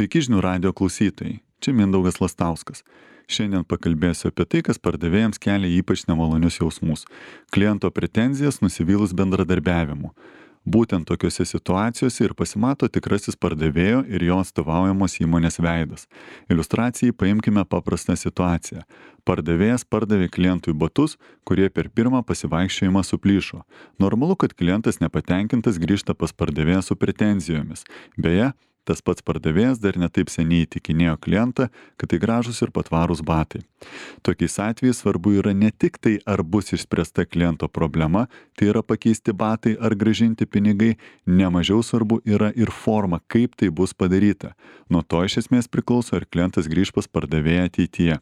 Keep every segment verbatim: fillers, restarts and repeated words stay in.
Sveiki žinių radio klausytojai, čia Mindaugas Lastauskas. Šiandien pakalbėsiu apie tai, kas pardavėjams kelia ypač nemalonius jausmus - kliento pretenzijas nusivylus bendradarbiavimu. Būtent tokiuose situacijose ir pasimato tikrasis pardavėjo ir jo atstovaujamos įmonės veidas. Iliustracijai paimkime paprastą situaciją. Pardavėjas pardavė klientui batus, kurie per pirmą pasivaikščiojimą suplyšo. Normalu, kad klientas nepatenkintas grįžta pas pardavėją su pretenzijomis. Beje, tas pats pardavėjas dar netaip seniai įtikinėjo klientą, kad tai gražūs ir patvarūs batai. Tokiais atvejais svarbu yra ne tik tai, ar bus išspręsta kliento problema, tai yra pakeisti batai ar grąžinti pinigai, nemažiau svarbu yra ir forma, kaip tai bus padaryta. Nuo to iš esmės priklauso, ar klientas grįž pas pardavėją ateityje.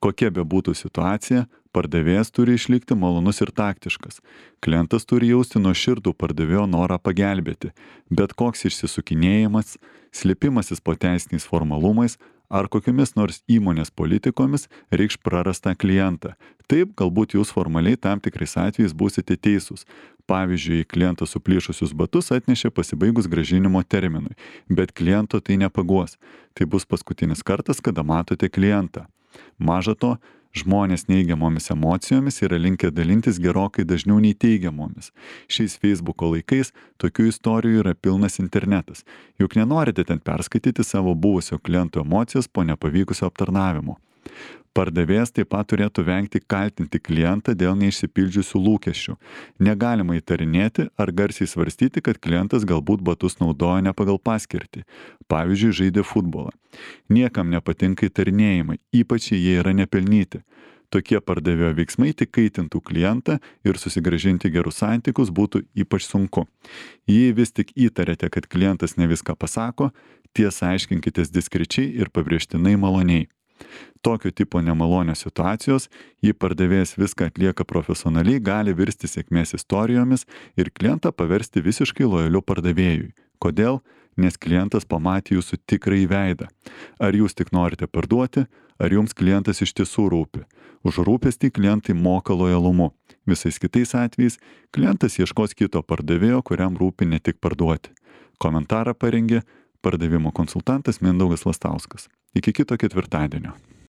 Kokia be būtų situacija, pardavėjas turi išlikti malonus ir taktiškas. Klientas turi jausti nuoširdų pardavėjo norą pagelbėti. Bet koks išsisukinėjimas, slėpimasis po teisiniais formalumais ar kokiamis nors įmonės politikomis reikš prarastą klientą. Taip, galbūt jūs formaliai tam tikrais atvejais būsite teisūs. Pavyzdžiui, klientas suplyšusius batus atnešė pasibaigus grąžinimo terminui, bet kliento tai nepaguos. Tai bus paskutinis kartas, kada matote klientą. Maža to, žmonės neigiamomis emocijomis yra linkę dalintis gerokai dažniau nei teigiamomis. Šiais Facebooko laikais tokių istorijų yra pilnas internetas. Juk nenorite ten perskaityti savo buvusio kliento emocijas po nepavykusio aptarnavimo. Pardavėjas taip pat turėtų vengti kaltinti klientą dėl neišsipildžiusių lūkesčių. Negalima įtarinėti ar garsiai svarstyti, kad klientas galbūt batus naudoja ne pagal paskirtį. Pavyzdžiui, žaidė futbolą. Niekam nepatinka įtarinėjimai, ypač jei jie yra nepelnyti. Tokie pardavėjo veiksmai tik kaitintų klientą ir susigrąžinti gerus santykius būtų ypač sunku. Jei vis tik įtarėte, kad klientas ne viską pasako, tiesą aiškinkitės diskrečiai ir pabrėžtinai maloniai. Tokio tipo nemalonios situacijos, jei pardavėjas viską atlieka profesionaliai, gali virsti sėkmės istorijomis ir klientą paversti visiškai lojaliu pardavėjui. Kodėl? Nes klientas pamatė jūsų tikrąjį veidą. Ar jūs tik norite parduoti, ar jums klientas iš tiesų rūpi. Už rūpestį klientai moka lojalumu. Visais kitais atvejais klientas ieškos kito pardavėjo, kuriam rūpi ne tik parduoti. Komentarą parengė pardavimo konsultantas Mindaugas Lastauskas. Iki kito ketvirtadienio.